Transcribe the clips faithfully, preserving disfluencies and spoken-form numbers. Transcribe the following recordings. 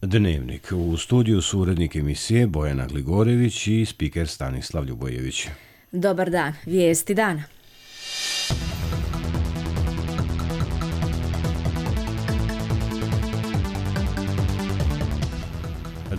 Dnevnik. U studiju su urednik emisije Bojana Gligorević i spiker Stanislav Ljubojević. Dobar dan. Vijesti dana.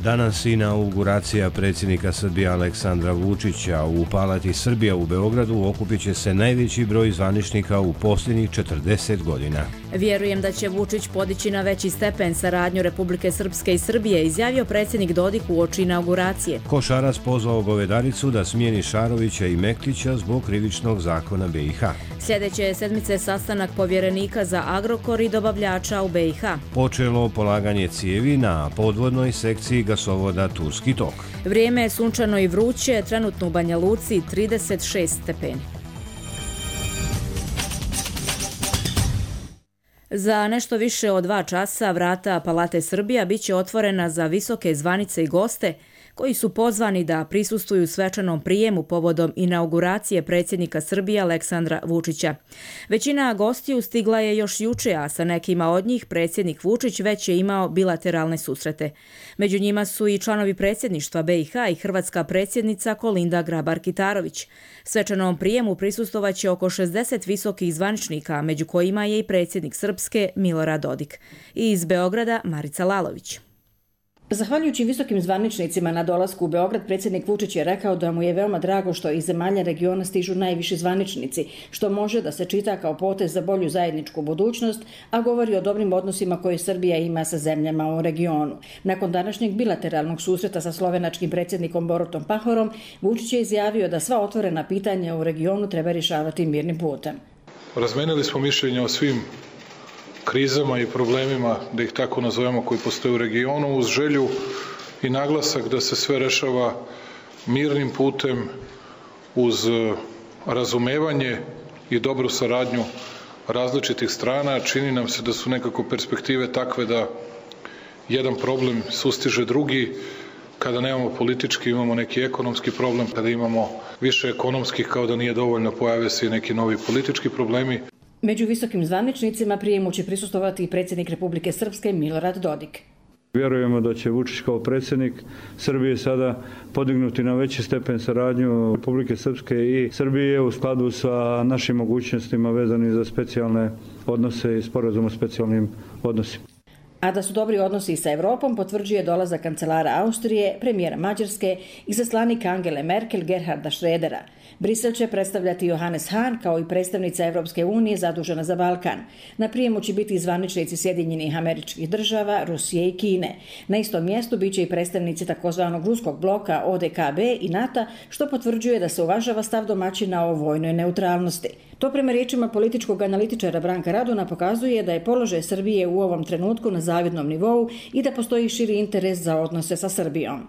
Danas inauguracija predsjednika Srbije Aleksandra Vučića. U Palati Srbija u Beogradu okupit će se najveći broj zvaničnika u posljednjih četrdeset godina. Vjerujem da će Vučić podići na veći stepen saradnju Republike Srpske i Srbije, izjavio predsjednik Dodik uoči inauguracije. Košarac pozvao Govedaricu da smijeni Šarovića i Mektića zbog krivičnog zakona B i H. Sljedeće sedmice sastanak povjerenika za Agrokor i dobavljača u B i H. Počelo polaganje cijevi na podvodnoj sekciji gasovoda Turski tok. Vrijeme je sunčano i vruće, trenutno u Banja Luci trideset šest stepeni. Za nešto više od dva časa vrata Palate Srbija bit će otvorena za visoke zvanice i goste koji su pozvani da prisustvuju svečanom prijemu povodom inauguracije predsjednika Srbije Aleksandra Vučića. Većina gostiju stigla je još juče, a sa nekima od njih predsjednik Vučić već je imao bilateralne susrete. Među njima su i članovi predsjedništva B i H i hrvatska predsjednica Kolinda Grabar-Kitarović. Svečanom prijemu prisustvovaće oko šezdeset visokih zvaničnika, među kojima je i predsjednik Srpske Milorad Dodik. I iz Beograda Marica Lalović. Zahvaljujući visokim zvaničnicima na dolasku u Beograd, predsjednik Vučić je rekao da mu je veoma drago što iz zemalja regiona stižu najviši zvaničnici, što može da se čita kao potez za bolju zajedničku budućnost, a govori o dobrim odnosima koje Srbija ima sa zemljama u regionu. Nakon današnjeg bilateralnog susreta sa slovenačkim predsjednikom Borutom Pahorom, Vučić je izjavio da sva otvorena pitanja u regionu treba rješavati mirnim putem. Razmenili smo mišljenja o svim krizama i problemima, da ih tako nazovemo, koji postoje u regionu, uz želju i naglasak da se sve rešava mirnim putem, uz razumevanje i dobru saradnju različitih strana. Čini nam se da su nekako perspektive takve da jedan problem sustiže drugi. Kada nemamo politički, imamo neki ekonomski problem. Kada imamo više ekonomskih, kao da nije dovoljno, pojave se i neki novi politički problemi. Među visokim zvaničnicima prijemu će prisustvovati i predsjednik Republike Srpske Milorad Dodik. Vjerujemo da će Vučić kao predsjednik Srbije sada podignuti na veći stepen saradnju Republike Srpske i Srbije u skladu sa našim mogućnostima vezanim za specijalne odnose i sporazum o specijalnim odnosima. A da su dobri odnosi sa Evropom potvrđuje dolazak kancelara Austrije, premijera Mađarske i zaslanika Angele Merkel Gerharda Schrödera. Brisel će predstavljati Johannes Hahn kao i predstavnica Evropske unije zadužena za Balkan. Na prijemu će biti zvaničnici Sjedinjenih Američkih Država, Rusije i Kine. Na istom mjestu biće i predstavnici takozvanog ruskog bloka O D K B i NATO, što potvrđuje da se uvažava stav domaćina o vojnoj neutralnosti. To prema riječima političkog analitičara Branka Raduna pokazuje da je položaj Srbije u ovom trenutku na zavidnom nivou i da postoji širi interes za odnose sa Srbijom.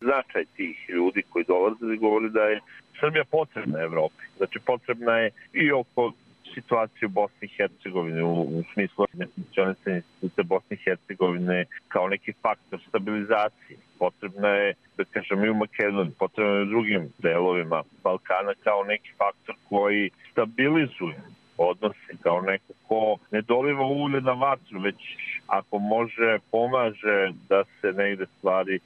Značaj tih ljudi koji dolaze govori da je Srbija potrebna Evropi. Znači potrebna je i oko situacije u Bosni i Hercegovine u, u smislu nefunkcionisanja institucija Bosne i Hercegovine kao neki faktor stabilizacije. Potrebna je, da kažem, i u Makedoniji, potrebna je u drugim delovima Balkana kao neki faktor koji stabilizuje odnose, kao neko ko ne doliva ulje na vatru, već ako može, pomaže da se negde stvari e,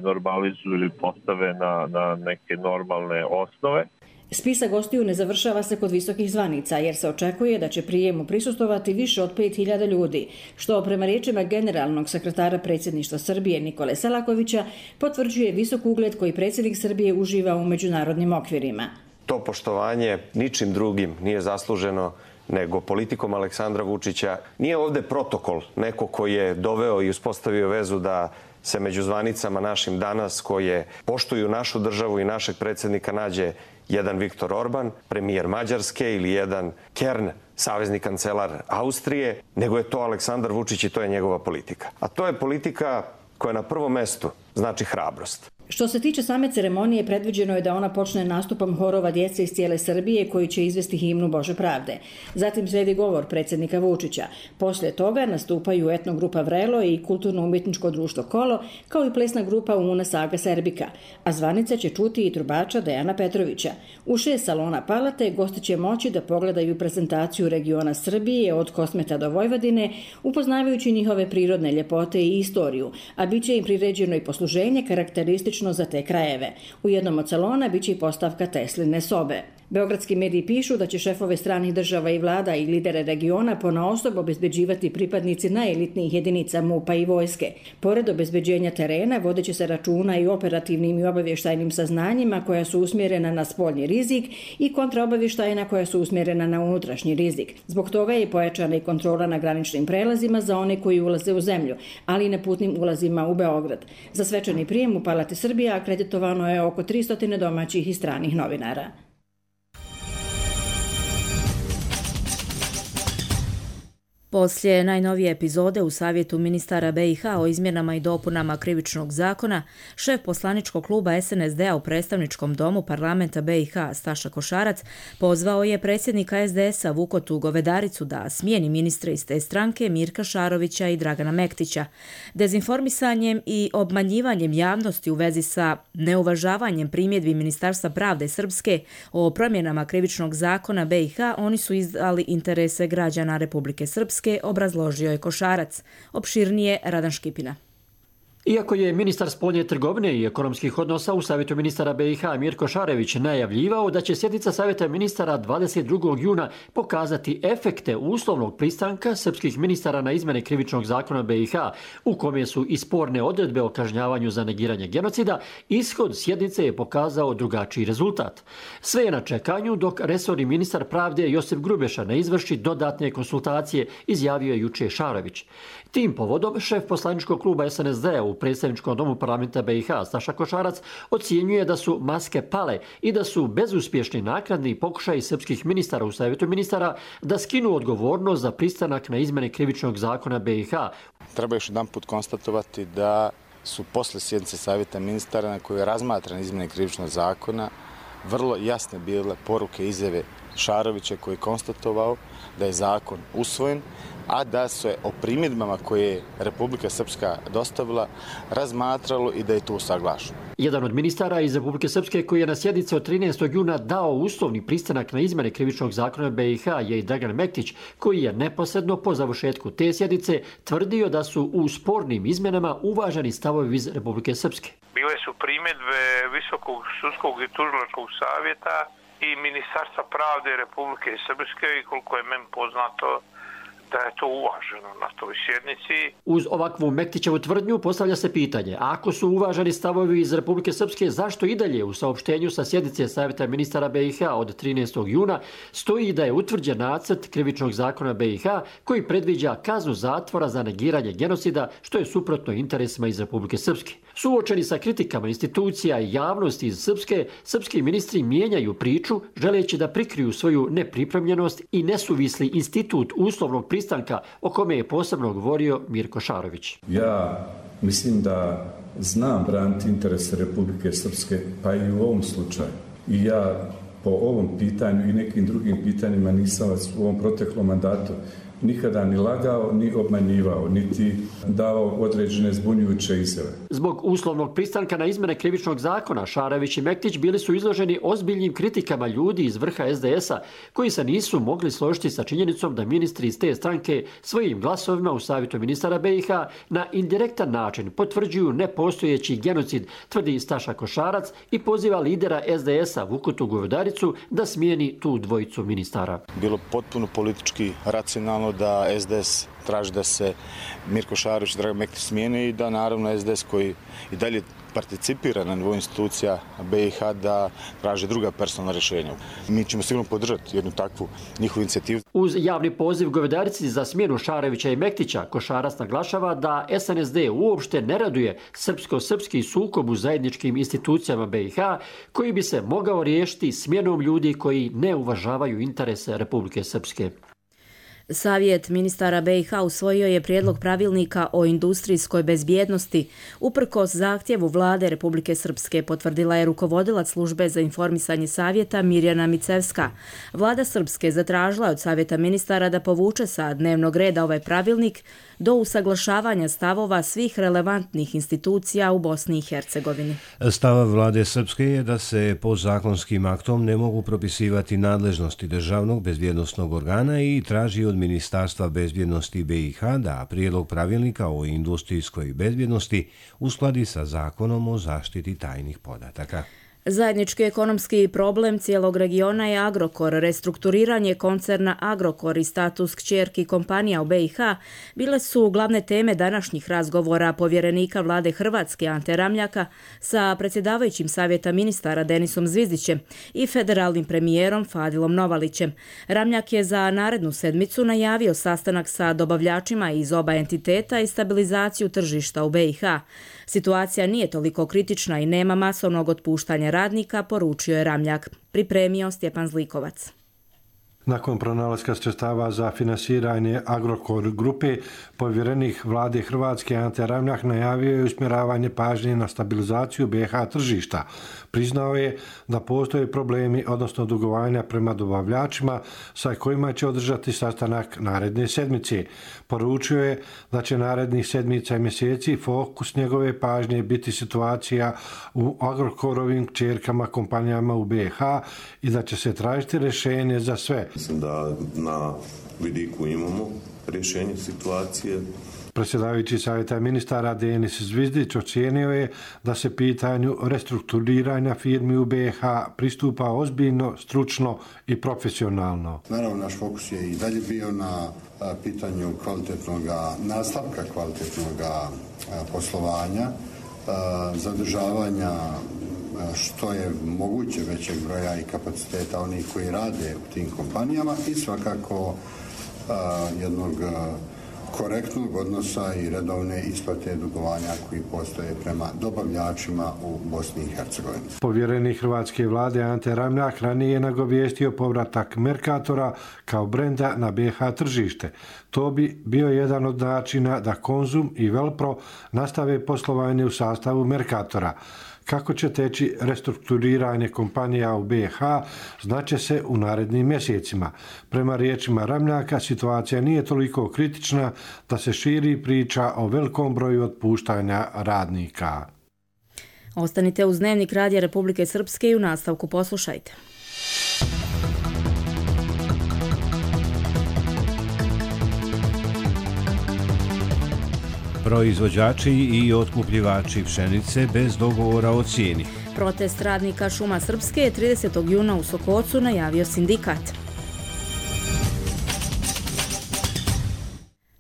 normalizuju ili postave na, na neke normalne osnove. Spisak gostiju ne završava se kod visokih zvanica, jer se očekuje da će prijemu prisustvovati više od pet hiljada ljudi, što prema riječima generalnog sekretara predsjedništva Srbije Nikole Selakovića potvrđuje visok ugled koji predsjednik Srbije uživa u međunarodnim okvirima. To poštovanje ničim drugim nije zasluženo nego politikom Aleksandra Vučića. Nije ovde protokol, neko koji je doveo i uspostavio vezu da se među zvanicama našim danas, koje poštuju našu državu i našeg predsjednika, nađe jedan Viktor Orban, premijer Mađarske, ili jedan Kern, savezni kancelar Austrije, nego je to Aleksandar Vučić i to je njegova politika. A to je politika koja na prvom mestu znači hrabrost. Što se tiče same ceremonije, predviđeno je da ona počne nastupom horova djece iz cijele Srbije koji će izvesti himnu Bože pravde. Zatim sledi govor predsjednika Vučića. Poslije toga nastupaju etnogrupa Vrelo i kulturno-umjetničko društvo Kolo, kao i plesna grupa Una Saga Serbika, a zvanice će čuti i trubača Dejana Petrovića. U šest salona Palate gosti će moći da pogledaju prezentaciju regiona Srbije od Kosmeta do Vojvodine, upoznavajući njihove prirodne ljepote i istoriju, a bit će im priređeno i posluženje karakteristično za te krajeve. U jednom od salona biće i postavka Tesline sobe. Beogradski mediji pišu da će šefove stranih država i vlada i lidere regiona ponaosob obezbeđivati pripadnici najelitnijih jedinica MUP-a i vojske. Pored obezbeđenja terena, vodeće se računa i operativnim i obavještajnim saznanjima koja su usmjerena na spoljni rizik i kontraobavještajna koja su usmjerena na unutrašnji rizik. Zbog toga je pojačana i kontrola na graničnim prelazima za one koji ulaze u zemlju, ali i na putnim ulazima u Beograd. Za svečani prijem u Palati Srbija akreditovano je oko tristo domaćih i stranih novinara. Poslije najnovije epizode u Savjetu ministara B i H o izmjenama i dopunama krivičnog zakona, šef poslaničkog kluba S N S D-a u predstavničkom domu parlamenta B i H Staša Košarac pozvao je predsjednika S D S-a Vukotu Govedaricu da smijeni ministre iz te stranke Mirka Šarovića i Dragana Mektića. Dezinformisanjem i obmanjivanjem javnosti u vezi sa neuvažavanjem primjedbi Ministarstva pravde Srpske o promjenama krivičnog zakona B i H, oni su izdali interese građana Republike Srpske, obrazložio je Košarac. Opširnije Radan Škipina. Iako je ministar spoljne trgovine i ekonomskih odnosa u Savjetu ministara B i H Mirko Šarević najavljivao da će sjednica Savjeta ministara dvadeset drugog juna pokazati efekte uslovnog pristanka srpskih ministara na izmjene krivičnog zakona B i H, u kome su i sporne odredbe o kažnjavanju za negiranje genocida, ishod sjednice je pokazao drugačiji rezultat. Sve je na čekanju dok resorni ministar pravde Josip Grubeša ne izvrši dodatne konsultacije, izjavio je juče Šarević. Tim povodom šef poslaničkog kluba S N S D-a u predstavničkom domu parlamenta B i H Staša Košarac ocjenjuje da su maske pale i da su bezuspješni naknadni pokušaji srpskih ministara u Savjetu ministara da skinu odgovornost za pristanak na izmjene krivičnog zakona B i H. Treba još jedan put konstatovati da su posle sjednice Savjeta ministara na kojoj je razmatran izmjene krivičnog zakona vrlo jasne bile poruke izjave Šarovića koji je konstatovao da je zakon usvojen, a da se o primjedbama koje je Republika Srpska dostavila razmatralo i da je to usaglašeno. Jedan od ministara iz Republike Srpske koji je na sjednici od trinaestog juna dao uslovni pristanak na izmjene krivičnog zakona B i H je i Dragan Mektić, koji je neposredno po završetku te sjednice tvrdio da su u spornim izmjenama uvaženi stavovi iz Republike Srpske. Bile su primjedbe Visokog sudskog i tužilačkog savjeta i Ministarstva pravde Republike Srpske i koliko je meni poznato da je to uvaženo na toj sjednici. Uz ovakvu Mektićevu tvrdnju postavlja se pitanje, ako su uvaženi stavovi iz Republike Srpske, zašto i dalje u saopštenju sa sjednice Savjeta ministara B i H od trinaestog juna stoji da je utvrđen nacrt krivičnog zakona B i H koji predviđa kaznu zatvora za negiranje genocida, što je suprotno interesima iz Republike Srpske. Suočeni sa kritikama institucija i javnosti iz Srpske, srpski ministri mijenjaju priču želeći da prikriju svoju nepripremljenost i nesuvisli institut uslovnog pristanka o kome je posebno govorio Mirko Šarović. Ja mislim da znam braniti interese Republike Srpske, pa i u ovom slučaju. I ja po ovom pitanju i nekim drugim pitanjima nisam vas u ovom proteklom mandatu nikada ni lagao, ni obmanjivao, niti davao određene zbunjujuće izjave. Zbog uslovnog pristanka na izmjene krivičnog zakona, Šarević i Mektić bili su izloženi ozbiljnim kritikama ljudi iz vrha S D S-a, koji se nisu mogli složiti sa činjenicom da ministri iz te stranke svojim glasovima u Savjetu ministara B i H na indirektan način potvrđuju nepostojeći genocid, tvrdi Staša Košarac i poziva lidera S D S-a Vukotu Govedaricu da smijeni tu dvojicu ministara. Bilo potpuno politički racionalno da S D S traži da se Mirko Šarović i Dragan Mektić smijene i da naravno S D S koji i dalje participira na nivou institucija B i H da traži druga personalna rješenja. Mi ćemo sigurno podržati jednu takvu njihovu inicijativu. Uz javni poziv Govedarici za smjenu Šarevića i Mektića, Košarac naglašava da S N S D uopšte ne raduje srpsko-srpski sukob u zajedničkim institucijama B i H koji bi se mogao riješiti smjenom ljudi koji ne uvažavaju interese Republike Srpske. Savjet ministara B i H usvojio je prijedlog pravilnika o industrijskoj bezbjednosti uprkos zahtjevu vlade Republike Srpske, potvrdila je rukovodilac službe za informisanje savjeta Mirjana Micevska. Vlada Srpske zatražila od Savjeta ministara da povuče sa dnevnog reda ovaj pravilnik do usaglašavanja stavova svih relevantnih institucija u Bosni i Hercegovini. Stav vlade Srpske je da se podzakonskim aktom ne mogu propisivati nadležnosti državnog bezbjednosnog organa i traži od Ministarstva bezbjednosti B i H da prijedlog pravilnika o industrijskoj bezbjednosti uskladi sa zakonom o zaštiti tajnih podataka. Zajednički ekonomski problem cijelog regiona je Agrokor. Restrukturiranje koncerna Agrokor i status kćerki kompanija u B i H bile su glavne teme današnjih razgovora povjerenika vlade Hrvatske Ante Ramljaka sa predsjedavajućim Savjeta ministara Denisom Zvizdićem i federalnim premijerom Fadilom Novalićem. Ramljak je za narednu sedmicu najavio sastanak sa dobavljačima iz oba entiteta i stabilizaciju tržišta u B i H. Situacija nije toliko kritična i nema masovnog otpuštanja radnika, poručio je Ramljak. Pripremio Stjepan Zlikovac. Nakon pronalaska sredstava za finansiranje Agrokor grupe, povjerenik vlade Hrvatske Ante Ramljak najavio je usmjeravanje pažnje na stabilizaciju B i H tržišta. Priznao je da postoje problemi, odnosno dugovanja prema dobavljačima sa kojima će održati sastanak naredne sedmice. Poručio je da će narednih sedmica i mjeseci fokus njegove pažnje biti situacija u Agrokorovim kćerkama kompanijama u B i H i da će se tražiti rješenje za sve. Mislim da na vidiku imamo rješenje situacije. Predsjedavajući Savjeta ministara Denis Zvizdić ocijenio je da se pitanju restrukturiranja firmi u B i H pristupa ozbiljno, stručno i profesionalno. Naravno, naš fokus je i dalje bio na pitanju kvalitetnog nastavka, kvalitetnog poslovanja, zadržavanja što je moguće većeg broja i kapaciteta onih koji rade u tim kompanijama i svakako jednog korektnog odnosa i redovne isplate dugovanja koji postoje prema dobavljačima u Bosni i Hercegovini. Povjerenik hrvatske vlade Ante Ramljak ranije je nagovijestio povratak Mercatora kao brenda na B i H tržište. To bi bio jedan od načina da Konzum i Velpro nastave poslovanje u sastavu Mercatora. Kako će teći restrukturiranje kompanija u B i H, znaće se u narednim mjesecima. Prema riječima Ramljaka, situacija nije toliko kritična da se širi priča o velikom broju otpuštanja radnika. Ostanite uz Dnevnik Radija Republike Srpske i u nastavku poslušajte. Proizvođači i otkupljivači pšenice bez dogovora o cijeni. Protest radnika Šuma Srpske je tridesetog juna u Sokocu najavio sindikat.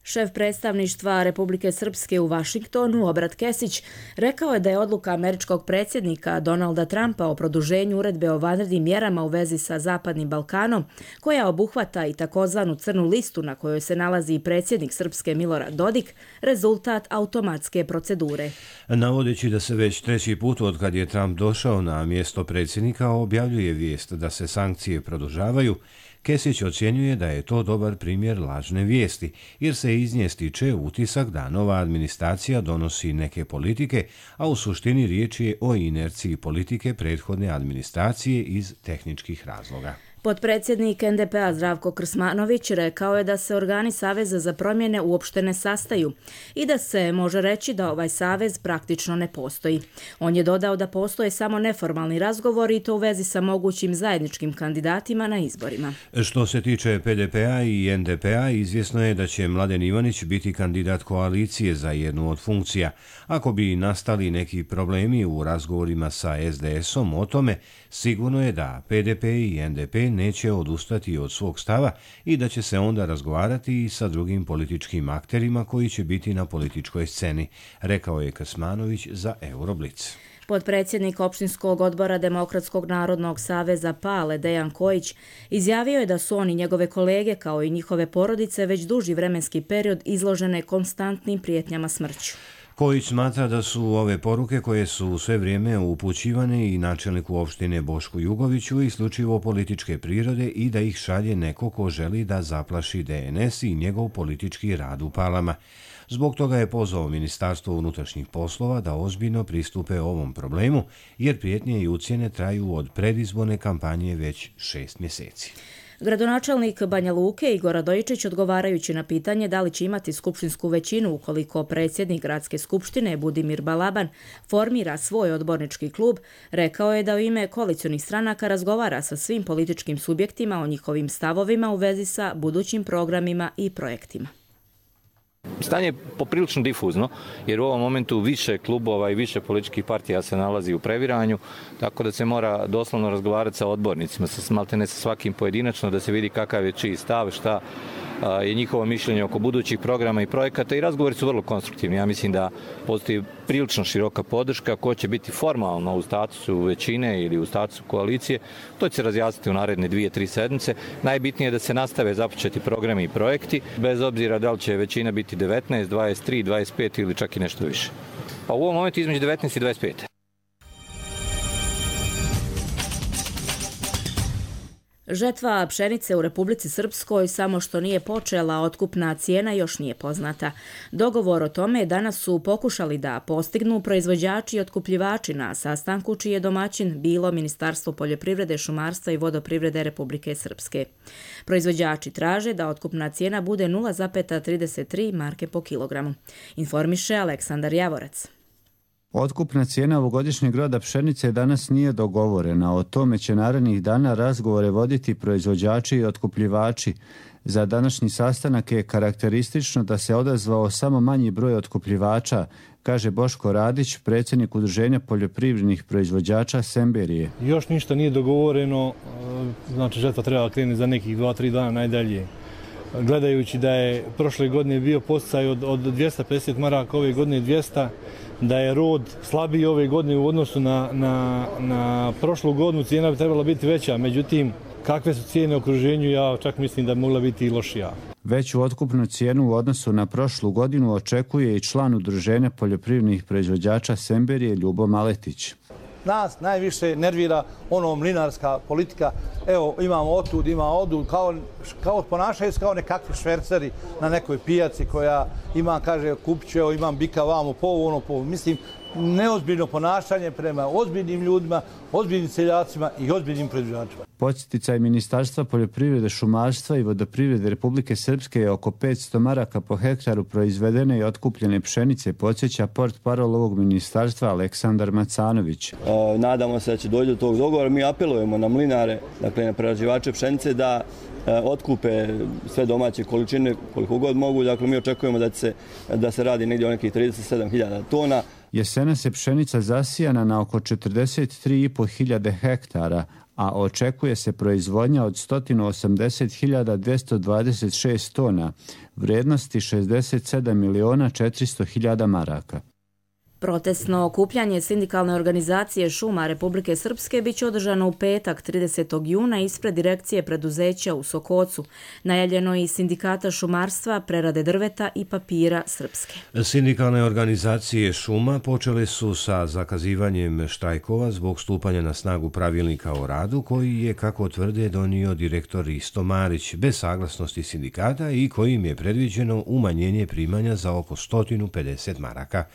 Šef predstavništva Republike Srpske u Vašingtonu, Obrat Kesić, rekao je da je odluka američkog predsjednika Donalda Trumpa o produženju uredbe o vanrednim mjerama u vezi sa Zapadnim Balkanom, koja obuhvata i takozvanu crnu listu na kojoj se nalazi i predsjednik Srpske Milorad Dodik, rezultat automatske procedure. Navodeći da se već treći put od kad je Trump došao na mjesto predsjednika objavljuje vijest da se sankcije produžavaju, Kesić ocjenjuje da je to dobar primjer lažne vijesti, jer se iz nje stiče utisak da nova administracija donosi neke politike, a u suštini riječ je o inerciji politike prethodne administracije iz tehničkih razloga. Potpredsjednik N D P-a Zdravko Krsmanović rekao je da se organi Saveza za promjene uopšte ne sastaju i da se može reći da ovaj savez praktično ne postoji. On je dodao da postoje samo neformalni razgovori i to u vezi sa mogućim zajedničkim kandidatima na izborima. Što se tiče P D P-a i N D P-a, izvjesno je da će Mladen Ivanić biti kandidat koalicije za jednu od funkcija. Ako bi nastali neki problemi u razgovorima sa S D S-om o tome, sigurno je da P D P i N D P neće odustati od svog stava i da će se onda razgovarati i sa drugim političkim akterima koji će biti na političkoj sceni, rekao je Krsmanović za Euroblic. Potpredsjednik opštinskog odbora Demokratskog narodnog saveza Pale Dejan Kojić izjavio je da su oni njegove kolege kao i njihove porodice već duži vremenski period izložene konstantnim prijetnjama smrću. Kojić smatra da su ove poruke koje su sve vrijeme upućivane i načelniku opštine Bošku Jugoviću isključivo političke prirode i da ih šalje neko ko želi da zaplaši D N S i njegov politički rad u Palama. Zbog toga je pozvao Ministarstvo unutrašnjih poslova da ozbiljno pristupe ovom problemu, jer prijetnje i ucjene traju od predizborne kampanje već šest mjeseci. Gradonačelnik Banja Luke Igor Radojičić, odgovarajući na pitanje da li će imati skupštinsku većinu ukoliko predsjednik gradske skupštine Budimir Balaban formira svoj odbornički klub, rekao je da u ime koalicionih stranaka razgovara sa svim političkim subjektima o njihovim stavovima u vezi sa budućim programima i projektima. Stanje je poprilično difuzno, jer u ovom momentu više klubova i više političkih partija se nalazi u previranju, tako da se mora doslovno razgovarati sa odbornicima, sa maltene sa svakim pojedinačno, da se vidi kakav je čiji stav, šta je njihovo mišljenje oko budućih programa i projekata, i razgovori su vrlo konstruktivni. Ja mislim da postoji prilično široka podrška. Ko će biti formalno u statusu većine ili u statusu koalicije, to će se razjasniti u naredne dvije, tri sedmice. Najbitnije je da se nastave započeti programi i projekti, bez obzira da li će većina biti devetnaest, dvadeset tri, dvadeset pet ili čak i nešto više. Pa u ovom momentu između devetnaest i dvadeset pet. Žetva pšenice u Republici Srpskoj samo što nije počela, otkupna cijena još nije poznata. Dogovor o tome danas su pokušali da postignu proizvođači i otkupljivači na sastanku čiji je domaćin bilo Ministarstvo poljoprivrede, šumarstva i vodoprivrede Republike Srpske. Proizvođači traže da otkupna cijena bude nula zarez trideset tri marke po kilogramu. Informiše Aleksandar Javorac. Otkupna cijena ovogodišnjeg roda pšenice danas nije dogovorena. O tome će narednih dana razgovore voditi proizvođači i otkupljivači. Za današnji sastanak je karakteristično da se odazvao samo manji broj otkupljivača, kaže Boško Radić, predsjednik Udruženja poljoprivrednih proizvođača Semberije. Još ništa nije dogovoreno, znači žetva treba krenuti za nekih dva, tri dana najdalje. Gledajući da je prošle godine bio podsticaj od, od dvjesto pedeset maraka, ove godine dvjesto, da je rod slabiji ove godine u odnosu na, na, na prošlu godinu, cijena bi trebala biti veća. Međutim, kakve su cijene u okruženju, ja čak mislim da bi mogla biti i lošija. Veću otkupnu cijenu u odnosu na prošlu godinu očekuje i član Udruženja poljoprivrednih proizvođača Semberije Ljubo Maletić. Nas najviše nervira ono mlinarska politika. Evo, imamo otud, ima odud, kao, kao ponašaju se kao nekakvi šverceri na nekoj pijaci koja ima, kaže, kupit ću, evo, imam bika vamo, po ono, po mislim, neozbiljno ponašanje prema ozbiljnim ljudima, ozbiljnim seljacima i ozbiljnim proizvođačima. Podsticaj Ministarstva poljoprivrede, šumarstva i vodoprivrede Republike Srpske je oko petsto maraka po hektaru proizvedene i otkupljene pšenice, podsjeća portparol ovog ministarstva Aleksandar Macanović. E, nadamo se da će doći do tog dogovora. Mi apelujemo na mlinare, dakle na prerađivače pšenice, da e, otkupe sve domaće količine koliko god mogu. Dakle, mi očekujemo da se, da se radi negdje o nekih trideset sedam hiljada tona. Jesena se pšenica zasijana na oko četrdeset tri i po hiljade hektara, a očekuje se proizvodnja od sto osamdeset hiljada dvjesto dvadeset šest tona, vrijednosti šezdeset sedam miliona četiristo hiljada maraka. Protestno okupljanje sindikalne organizacije šuma Republike Srpske biće održano u petak tridesetog juna ispred direkcije preduzeća u Sokocu. Najavljeno i sindikata šumarstva, prerade drveta i papira Srpske. Sindikalne organizacije šuma počele su sa zakazivanjem štrajkova zbog stupanja na snagu pravilnika o radu koji je, kako tvrde, donio direktor Risto Marić bez saglasnosti sindikata i kojim je predviđeno umanjenje primanja za oko sto pedeset maraka.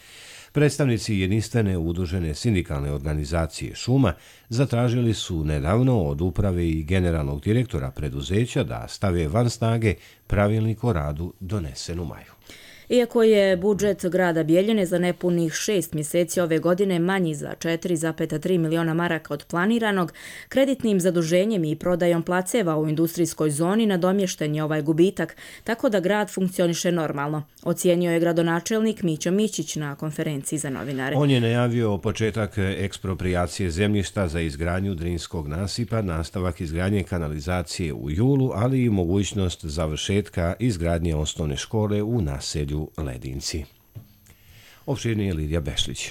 Predstavnici jedinstvene udružene sindikalne organizacije šuma zatražili su nedavno od uprave i generalnog direktora preduzeća da stave van snage pravilnik o radu donesen u maju. Iako je budžet grada Bijeljine za nepunih šest mjeseci ove godine manji za četiri zarez tri miliona maraka od planiranog, kreditnim zaduženjem i prodajom placeva u industrijskoj zoni nadomješten je ovaj gubitak, tako da grad funkcioniše normalno, ocijenio je gradonačelnik Mićo Mićić na konferenciji za novinare. On je najavio početak eksproprijacije zemljišta za izgradnju Drinskog nasipa, nastavak izgradnje kanalizacije u julu, ali i mogućnost završetka izgradnje osnovne škole u naselju Ledinci. Opširnije Lidija Bešlić.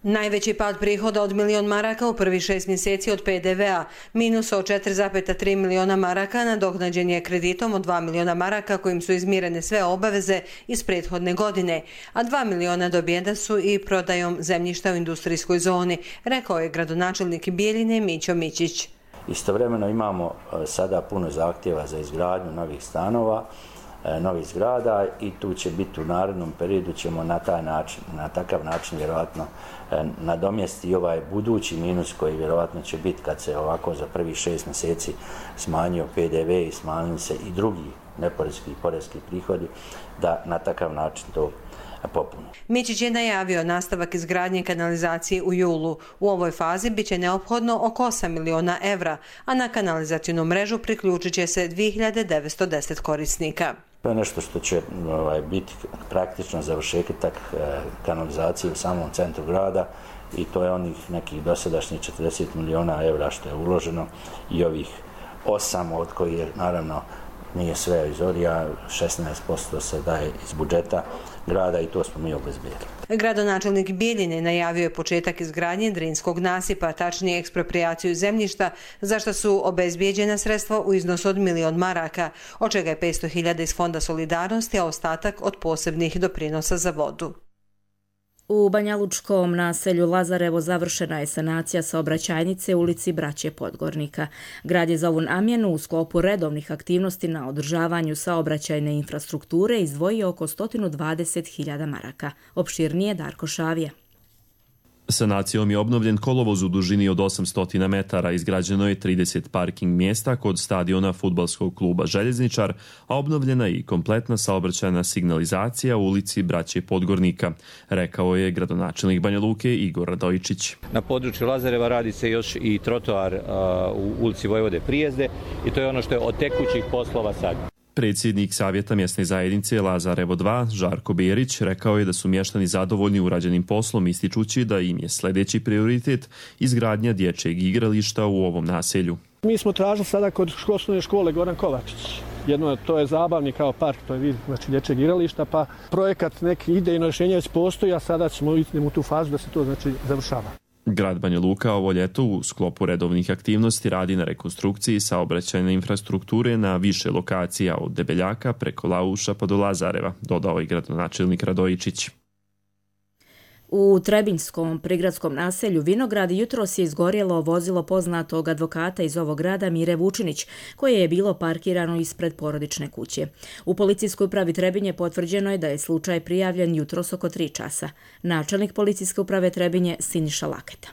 Najveći pad prihoda od milion maraka u prvi šest mjeseci od P D V-a, minus od četiri zarez tri miliona maraka nadoknađen je kreditom od dva miliona maraka kojim su izmirene sve obaveze iz prethodne godine, a dva miliona dobijena su i prodajom zemljišta u industrijskoj zoni, rekao je gradonačelnik Bijeljine Mićo Mićić. Istovremeno imamo sada puno zahtjeva za izgradnju novih stanova, novih zgrada i tu će biti u narednom periodu ćemo na taj način, na takav način vjerojatno nadomjesti ovaj budući minus koji vjerojatno će biti kad se ovako za prvih šest mjeseci smanjio P D V i smanjili se i drugi neporezki i porezki prihodi, da na takav način to popune. Mićić je najavio nastavak izgradnje kanalizacije u julu. U ovoj fazi bit će neophodno oko osam miliona evra, a na kanalizacijnu mrežu priključit će se dvije hiljade devetsto deset korisnika. To je nešto što će ovaj, biti praktično završetak e, kanalizacije u samom centru grada i to je onih nekih dosadašnjih četrdeset miliona evra što je uloženo i ovih osam od kojih je naravno nije sve iz orija, šesnaest posto se daje iz budžeta grada i to smo mi obezbijedili. Gradonačelnik Bijeljine najavio je početak izgradnje Drinskog nasipa, tačnije eksproprijaciju zemljišta, za što su obezbijeđena sredstva u iznosu od milion maraka, od čega je petsto hiljada iz Fonda solidarnosti, a ostatak od posebnih doprinosa za vodu. U banjalučkom naselju Lazarevo završena je sanacija saobraćajnice u ulici Braće Podgornika. Grad je za ovu namjenu u sklopu redovnih aktivnosti na održavanju saobraćajne infrastrukture izdvojio oko sto dvadeset hiljada maraka. Opširnije Darko Šavija. Sanacijom je obnovljen kolovoz u dužini od osamsto metara, izgrađeno je trideset parking mjesta kod stadiona fudbalskog kluba Željezničar, a obnovljena je i kompletna saobraćajna signalizacija u ulici Braće Podgornika, rekao je gradonačelnik Banja Luke Igor Radojičić. Na području Lazareva radi se još i trotoar u ulici Vojvode Prijezde i to je ono što je od tekućih poslova sad. Predsjednik Savjeta mjesne zajednice Lazarevo dva, Žarko Berić, rekao je da su mještani zadovoljni urađenim poslom, ističući da im je sljedeći prioritet izgradnja dječjeg igrališta u ovom naselju. Mi smo tražili sada kod osnovne škole Goran Kovačić. Jedno to je zabavni kao park, to je vid znači dječjeg igrališta, pa projekat neki idejno rješenje već postoji, a sada ćemo ići u tu fazu da se to znači završava. Grad Banja Luka ovo ljeto u sklopu redovnih aktivnosti radi na rekonstrukciji saobraćajne infrastrukture na više lokacija od Debeljaka preko Lauša pa do Lazareva, dodao je gradonačelnik Radojičić. U Trebinjskom prigradskom naselju Vinograd jutros je izgorjelo vozilo poznatog advokata iz ovog grada Mire Vučinić, koje je bilo parkirano ispred porodične kuće. U policijskoj upravi Trebinje potvrđeno je da je slučaj prijavljen jutros oko tri časa. Načelnik policijske uprave Trebinje Siniša Laketa.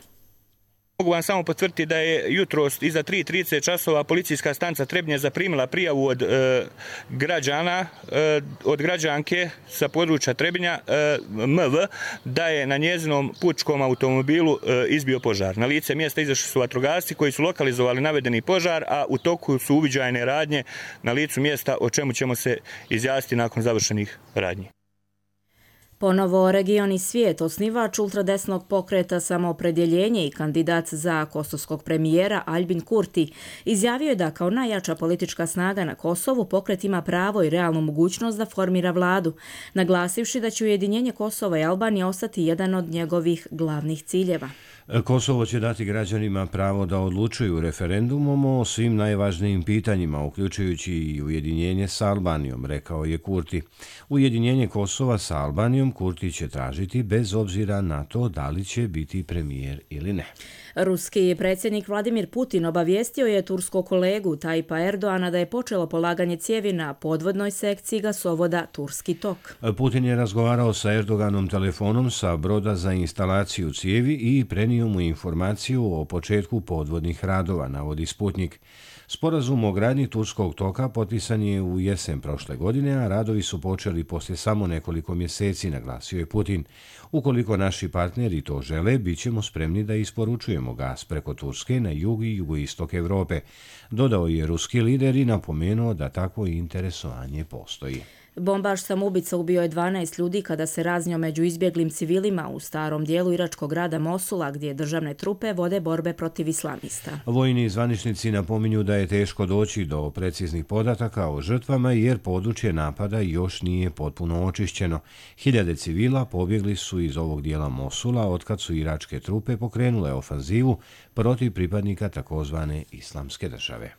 Mogu vam samo potvrditi da je jutros iza tri i trideset časova policijska stanica Trebinje zaprimila prijavu od e, građana, e, od građanke sa područja Trebinja e, M V da je na njezinom putničkom automobilu e, izbio požar. Na lice mjesta izašli su vatrogasci koji su lokalizovali navedeni požar, a u toku su uviđajne radnje na licu mjesta, o čemu ćemo se izjasniti nakon završenih radnji. Ponovo Regioni svijet, osnivač ultradesnog pokreta Samoopredjeljenje i kandidat za kosovskog premijera Aljbin Kurti izjavio je da kao najjača politička snaga na Kosovu pokret ima pravo i realnu mogućnost da formira vladu, naglasivši da će ujedinjenje Kosova i Albanije ostati jedan od njegovih glavnih ciljeva. Kosovo će dati građanima pravo da odlučuju referendumom o svim najvažnijim pitanjima, uključujući i ujedinjenje sa Albanijom, rekao je Kurti. Ujedinjenje Kosova sa Albanijom Kurti će tražiti bez obzira na to da li će biti premijer ili ne. Ruski predsjednik Vladimir Putin obavijestio je turskog kolegu Tajipa Erdoana da je počelo polaganje cijevi na podvodnoj sekciji gasovoda Turski tok. Putin je razgovarao sa Erdoganom telefonom sa broda za instalaciju cijevi i prenio mu informaciju o početku podvodnih radova, navodi Sputnik. Sporazum o gradnji Turskog toka potpisan je u jesen prošle godine, a radovi su počeli poslije samo nekoliko mjeseci, naglasio je Putin. Ukoliko naši partneri to žele, bit ćemo spremni da isporučujemo gas preko Turske na jug i jugoistok Europe, dodao je ruski lider i napomenuo da takvo interesovanje postoji. Bombaš samoubica ubio je dvanaest ljudi kada se raznio među izbjeglim civilima u starom dijelu iračkog grada Mosula, gdje državne trupe vode borbe protiv islamista. Vojni zvaničnici napominju da je teško doći do preciznih podataka o žrtvama jer područje napada još nije potpuno očišćeno. Hiljade civila pobjegli su iz ovog dijela Mosula otkad su iračke trupe pokrenule ofanzivu protiv pripadnika takozvane islamske države.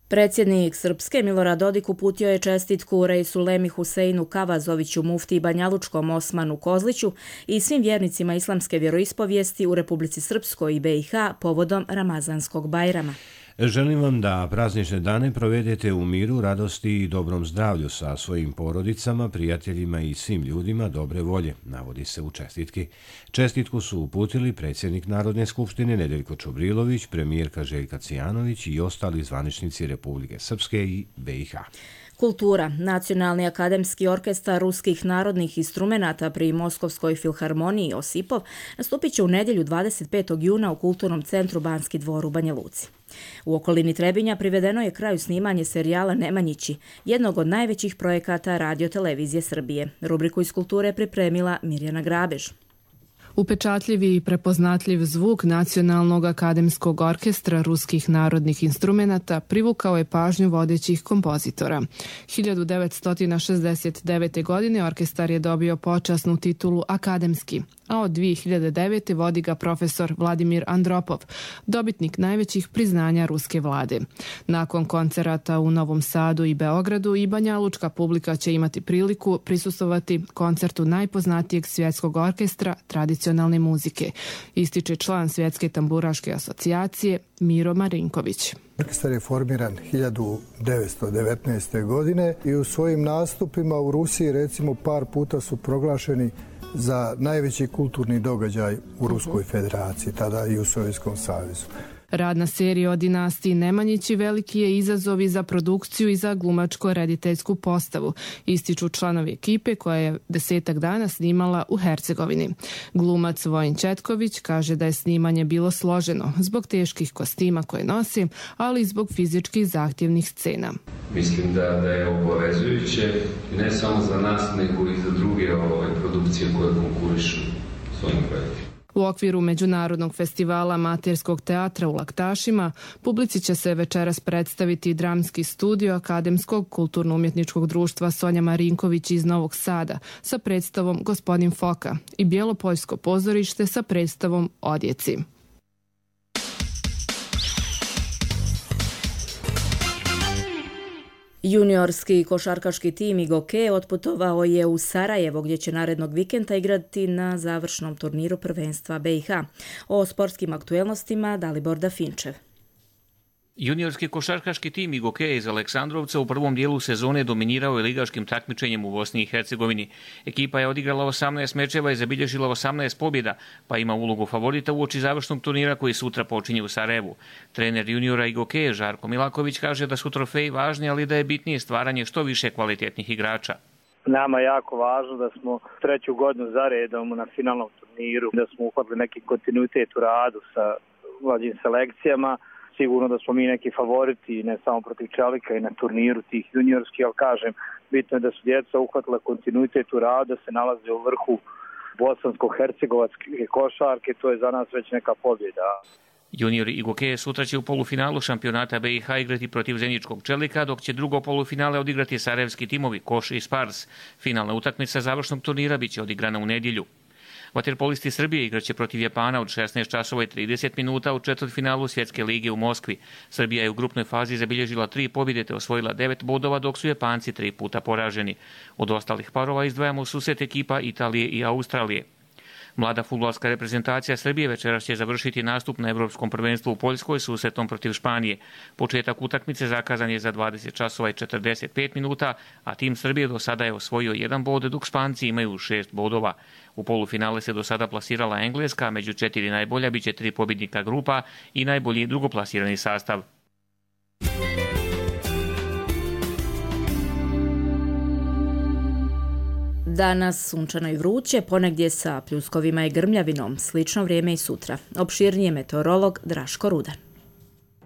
Predsjednik Srpske Milorad Dodik uputio je čestitku Reisulemi Huseinu Kavazoviću, mufti Banjalučkom Osmanu Kozliću i svim vjernicima islamske vjeroispovijesti u Republici Srpskoj i B i H povodom Ramazanskog Bajrama. Želim vam da praznične dane provedete u miru, radosti i dobrom zdravlju sa svojim porodicama, prijateljima i svim ljudima dobre volje, navodi se u čestitki. Čestitku su uputili predsjednik Narodne skupštine Nedeljko Čobrilović, premijerka Željka Cijanović i ostali zvaničnici Republike Srpske i B i H. Kultura. Nacionalni akademski orkestar ruskih narodnih instrumenata pri Moskovskoj filharmoniji Osipov nastupit će u nedjelju dvadeset petog juna u Kulturnom centru Banski dvor u Banja Luci. U okolini Trebinja privedeno je kraju snimanje serijala Nemanjići, jednog od najvećih projekata Radio-televizije Srbije. Rubriku iz kulture pripremila Mirjana Grabež. Upečatljiv i prepoznatljiv zvuk Nacionalnog akademskog orkestra ruskih narodnih instrumenata privukao je pažnju vodećih kompozitora. hiljadu devetsto šezdeset devete. godine orkestar je dobio počasnu titulu akademski, a od dvije hiljade devete. vodi ga profesor Vladimir Andropov, dobitnik najvećih priznanja ruske vlade. Nakon koncerata u Novom Sadu i Beogradu i banjalučka publika će imati priliku prisustvovati koncertu najpoznatijeg svjetskog orkestra tradicionalne muzike, ističe član Svjetske tamburaške asocijacije Miro Marinković. Orkestar je formiran hiljadu devetsto devetnaeste. godine i u svojim nastupima u Rusiji recimo par puta su proglašeni za najveći kulturni događaj u Ruskoj federaciji, tada i u Sovjetskom savezu. Rad na seriji o dinastiji Nemanjići veliki je izazov i za produkciju i za glumačko-rediteljsku postavu, ističu članovi ekipe koja je desetak dana snimala u Hercegovini. Glumac Vojin Četković kaže da je snimanje bilo složeno zbog teških kostima koje nosi, ali i zbog fizičkih zahtjevnih scena. Mislim da, da je obavezujuće ne samo za nas, nego i za druge ove produkcije koje konkurišu s ovim projektima. U okviru Međunarodnog festivala amaterskog teatra u Laktašima publici će se večeras predstaviti dramski studio Akademskog kulturno-umjetničkog društva Sonja Marinković iz Novog Sada sa predstavom Gospodin Foka i Bjelopoljsko pozorište sa predstavom Odjeci. Juniorski košarkaški tim Igoke otputovao je u Sarajevo gdje će narednog vikenda igrati na završnom turniru prvenstva B i H. O sportskim aktuelnostima Dalibor Dafinčev. Juniorski košarkaški tim Igoke iz Aleksandrovca u prvom dijelu sezone dominirao je ligaškim takmičenjem u Bosni i Hercegovini. Ekipa je odigrala osamnaest mečeva i zabilježila osamnaest pobjeda, pa ima ulogu favorita uoči završnog turnira koji sutra počinje u Sarajevu. Trener juniora Igoke Žarko Milaković kaže da su trofeji važni, ali da je bitnije stvaranje što više kvalitetnih igrača. Nama je jako važno da smo treću godinu za redom na finalnom turniru, da smo uhvatili neki kontinuitet u radu sa mlađim selekcijama. Sigurno da smo mi neki favoriti, ne samo protiv Čelika i na turniru tih juniorskih, ali kažem, bitno je da su djeca uhvatila kontinuitet u radu, da se nalaze u vrhu bosansko-hercegovačke košarke, to je za nas već neka pobjeda. Juniori Igoke sutra će u polufinalu šampionata B i H igrati protiv Zeničkog Čelika, dok će drugo polufinale odigrati sarajevski timovi Koš i Spars. Finalna utakmica završnog turnira biće odigrana u nedjelju. Vaterpolisti Srbije igraće protiv Japana od šesnaest časova i trideset minuta u četvrtfinalu Svjetske lige u Moskvi. Srbija je u grupnoj fazi zabilježila tri pobjede te osvojila devet bodova, dok su Japanci tri puta poraženi. Od ostalih parova izdvajamo susret ekipa Italije i Australije. Mlada fudbalska reprezentacija Srbije večeras će završiti nastup na Evropskom prvenstvu u Poljskoj susretom protiv Španije. Početak utakmice zakazan je za dvadeset časova i četrdeset pet minuta, a tim Srbije do sada je osvojio jedan bod, dok Španci imaju šest bodova. U polufinale se do sada plasirala Engleska, među četiri najbolja biće tri pobjednika grupa i najbolji drugoplasirani sastav. Danas sunčano i vruće, ponegdje sa pljuskovima i grmljavinom, slično vrijeme i sutra. Opširnije meteorolog Draško Rudan.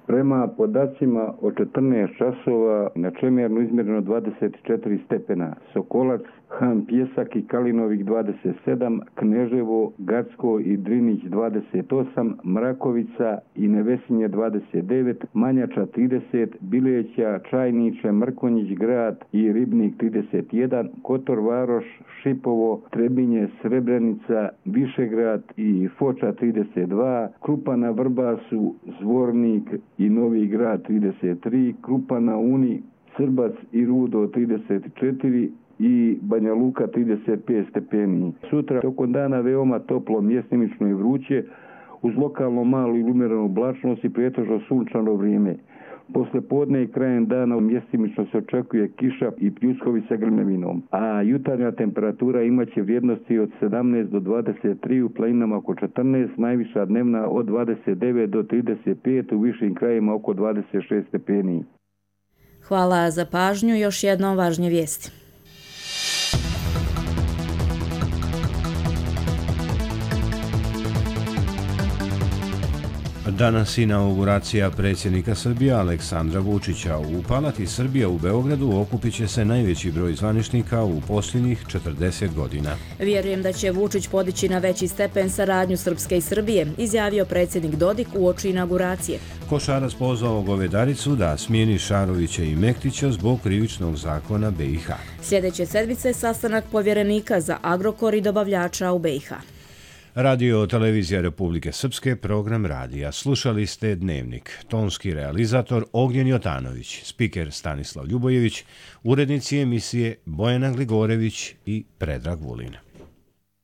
Prema podacima od četrnaest časova na Čemernu izmjereno dvadeset četiri stepena, Sokolac, Han Pjesak i Kalinovik dvadeset sedam, Kneževo, Gacko i Drinić dvadeset osam, Mrakovica i Nevesinje dvadeset devet, Manjača trideset, Bileća, Čajniče, Mrkonjić grad i Ribnik trideset jedan, Kotor Varoš, Šipovo, Trebinje, Srebrenica, Višegrad i Foča trideset dva, Krupa na Vrbasu, Zvornik i Novi grad trideset tri, Krupa na Uni, Srbac i Rudo trideset četiri i Banja Luka trideset pet stepeni. Sutra tokom dana veoma toplo, mjestimično i vruće, uz lokalno malu i umjerenu oblačnost i pretežno sunčano vrijeme. Posle podne i krajem dana mjestimično se očekuje kiša i pljuskovi sa grmevinom, a jutarnja temperatura imaće vrijednosti od sedamnaest do dvadeset tri, u planinama oko četrnaest, najviša dnevna od dvadeset devet do trideset pet, u višim krajima oko dvadeset šest stepeni. Hvala za pažnju, još jednom važnje vijesti. Danas inauguracija predsjednika Srbije Aleksandra Vučića. U Palati Srbija u Beogradu okupit će se najveći broj zvaničnika u posljednjih četrdeset godina. Vjerujem da će Vučić podići na veći stepen saradnju Srpske i Srbije, izjavio predsjednik Dodik uoči inauguracije. Košarac pozvao Govedaricu da smijeni Šarovića i Mektića zbog krivičnog zakona B i H. Sljedeće sedmice sastanak povjerenika za Agrokor i dobavljača u B i H. Radio Televizija Republike Srpske, program radija. Slušali ste Dnevnik. Tonski realizator Ognjen Jotanović, spiker Stanislav Ljubojević, urednici emisije Bojana Gligorević i Predrag Vulin.